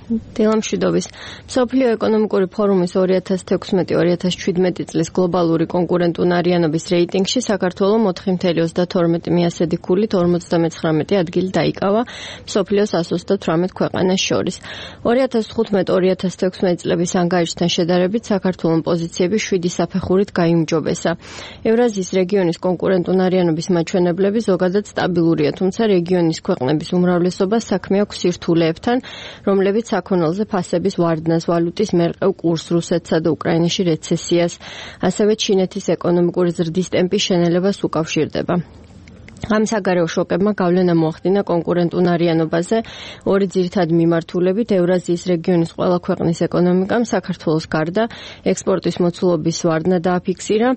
დილამშვიდობის. მსოფლიო ეკონომიკური ფორუმის 2016-2017 წლის გლობალური კონკურენტუნარიანობის რეიტინგში საქართველო 4.32 მიასედი ქულით 59 ადგილი დაიკავა მსოფლიოს 138 ქვეყანას შორის. 2015-2016 წლების ანგარიშთან შედარებით საქართველოს პოზიციები 7 საფეხურით გაიმჯობესა. ევრაზიის რეგიონის კონკურენტუნარიანობის მაჩვენებლები ზოგადად სტაბილურია, თუმცა რეგიონის ქვეყნების უმრავლესობა საქმე აქვს სირთულეებთან, რომლებიც საქონელზე ფასების ვარდნას, ვალუტის მერყევ კურსს, რუსეთსა და უკრაინაში რეცესიას, ასევე ჩინეთის ეკონომიკური ზრდის ტემპის შენელებას უკავშირდება. ამ საგარეო შოკებმა გავლენა მოახდინა კონკურენტუნარიანობაზე. ორი ძირითადი მიმართულებით ევრაზიის რეგიონის ყველა ქვეყნის ეკონომიკამ საქართველოს გარდა ექსპორტის მოცულობის ვარდნა დააფიქსირა,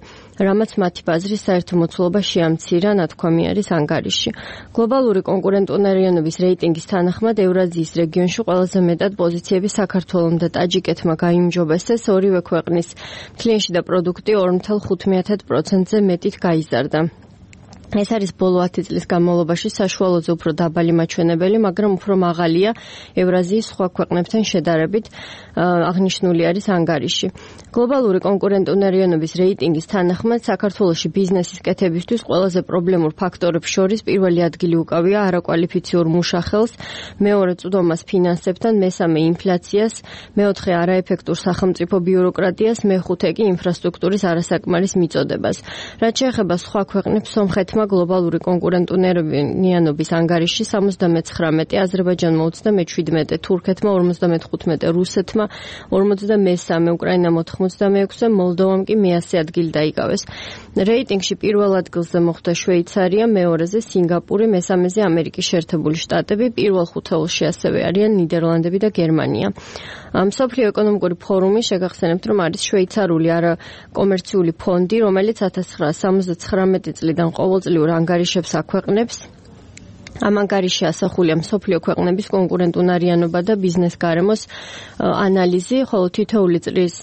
რამაც მათი ბაზრის საერთო მოცულობა შეამცირა, ნათქვამი არის ანგარიშში. გლობალური კონკურენტუნარიანობის რეიტინგის თანახმად ევრაზიის რეგიონში ყველაზე მეტად პოზიციები საქართველომ და ტაჯიკეთმა გაიმჯობესეს, ორივე ქვეყნის მთლიანში და პროდუქტი 2.5%-ზე მეტით გაიზარდა. ეს არის ბოლო 10 წლის განმავლობაში საშუალოზე უფრო დაბალი მაჩვენებელი, მაგრამ უფრო მაღალია ევრაზიის სხვა ქვეყნებთან შედარებით, აღნიშნული არის ანგარიში. გლობალური კონკურენტუნარიანობის რეიტინგის თანახმად საქართველოში ბიზნესის კეთებისთვის ყველაზე პრობლემურ ფაქტორებს შორის პირველი ადგილი უკავია არაკვალიფიციურ მუშახელს, მეორე წვდომას ფინანსებთან, მესამე ინფლაციას, მეოთხე არაეფექტურ სახელმწიფო ბიუროკრატიას, მეხუთე კი ინფრასტრუქტურის არასაკმარის მიწოდებას. რაც შეეხება სხვა ქვეყნებს, სომხეთმა გლობალური კონკურენტუნარიანობის ანგარიში 79, აზერბაიჯანმა 37, თურქეთმა 55, რუსეთმა 53, უკრაინამ 86, მოლდოვამ კი მე-100 ადგილი დაიკავეს. რეიტინგში პირველ ადგილზე მოხვდა შვეიცარია, მეორეზე სინგაპური, მესამეზე ამერიკის შეერთებული შტატები, პირველ ხუთეულში ასევე არიან ნიდერლანდები და გერმანია. მსოფლიო ეკონომიკური ფორუმი შეგახსენებთ, რომ არის შვეიცარიული არაკომერციული ფონდი, რომელიც 1979 წლიდან ყოველწლიურ ანგარიშებს აქვეყნებს. ამ ანგარიში ასახულია მსოფლიო ქვეყნების კონკურენტუნარიანობა და ბიზნეს გარემოს ანალიზი, ხოლო თითოეული წლის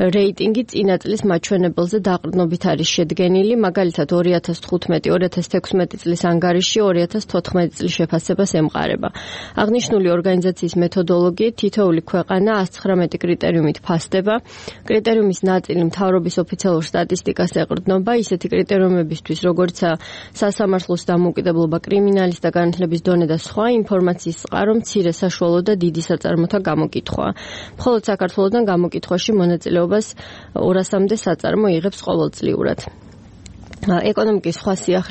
რეიტინგი წინა წლის მაჩვენებელზე დაყრდნობით არის შედგენილი, მაგალითად 2015-2016 წლის ანგარიში 2014 წლის შეფასებას ემყარება. აღნიშნული ორგანიზაციის მეთოდოლოგიით თითოეული ქვეყანა 119 კრიტერიუმით ფასდება. კრიტერიუმის ნაწილი მთავრობის ოფიციალურ სტატისტიკას ეყრდნობა, ისეთი კრიტერიუმებისთვის, როგორიცაა სასამართლოს დამოუკიდებლობა, კრიმინალის და განათლების დონე და სხვა, ინფორმაციის წყარო, მცირე, საშუალო და დიდი საწარმოთა გამოკითხვა. მხოლოდ საქართველოსთან გამოკითხვაში მონაწილეობას 200-მდე საწარმო იღებს ყოველწლიურად. ეკონომიკის სხვა სიახლე